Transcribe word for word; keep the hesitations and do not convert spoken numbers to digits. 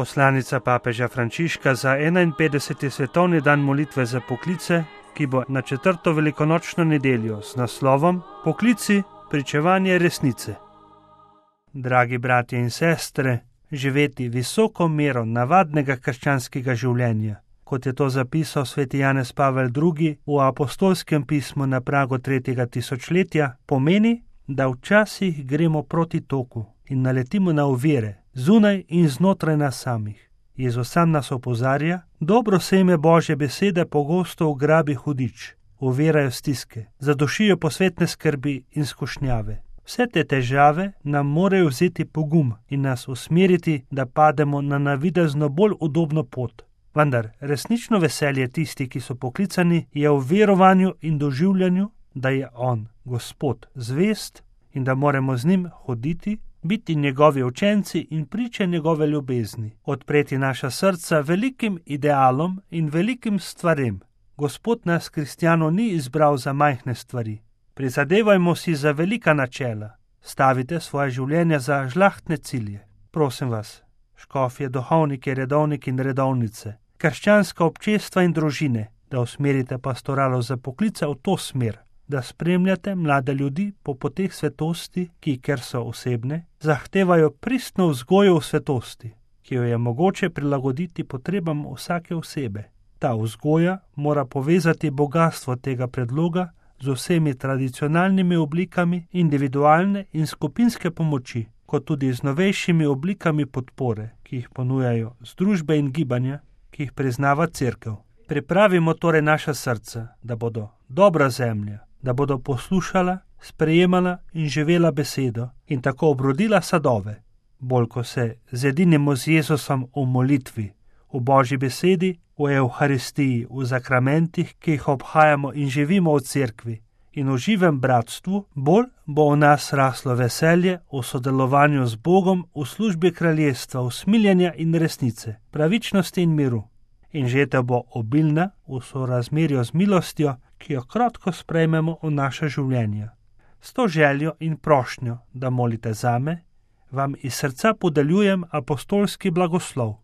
Poslanica papeža Frančiška za enainpetdeseti svetovni dan molitve za poklice, ki bo na četrto velikonočno nedeljo z naslovom Poklici, pričevanje resnice. Dragi bratje in sestre, živeti visoko mero navadnega krščanskega življenja, kot je to zapisal sveti Janez Pavel drugi v apostolskem pismu na pragu tretjega tisočletja, pomeni, da včasih gremo proti toku in naletimo na ovire, zunaj in znotraj nas samih. Jezus sam nas opozarja, dobro seme Božje besede pogosto ugrabi hudič, ovirajo stiske, zadušijo posvetne skrbi in skušnjave. Vse te težave nam morajo vzeti pogum in nas usmeriti, da pademo na navidezno bolj udobno pot. Vendar resnično veselje tisti, ki so poklicani, je v verovanju in doživljanju, da je On, Gospod, zvest in da moramo z njim hoditi, biti njegovi učenci in priče njegove ljubezni, odpreti naša srca velikim idealom in velikim stvarem. Gospod nas, kristjanov, ni izbral za majhne stvari. Prizadevajmo si za velika načela, stavite svoje življenje za žlahtne cilje. Prosim vas, škofje, duhovnike, redovniki in redovnice, krščanska občestva in družine, da usmerite pastoralo za poklice v to smer, da spremljate mlade ljudi po poteh svetosti, ki, ker so osebne, zahtevajo pristno vzgojo v svetosti, ki jo je mogoče prilagoditi potrebam vsake osebe. Ta vzgoja mora povezati bogastvo tega predloga z vsemi tradicionalnimi oblikami individualne in skupinske pomoči, kot tudi z novejšimi oblikami podpore, ki jih ponujajo združbe in gibanja, ki jih priznava Cerkev. Pripravimo torej naša srca, da bodo dobra zemlja, da bodo poslušala, sprejemala in živela besedo in tako obrodila sadove. Bolj ko se zedinimo z Jezusom v molitvi, v Božji besedi, v Evharistiji, v zakramentih, ki jih obhajamo in živimo v cerkvi in v živem bratstvu, bolj bo v nas raslo veselje v sodelovanju z Bogom v službi kraljestva, usmiljenja in resnice, pravičnosti in miru. In žetev bo obilna v sorazmerju z milostjo, ki jo krotko sprejmemo v naše življenje. S to željo in prošnjo, da molite zame, vam iz srca podeljujem apostolski blagoslov.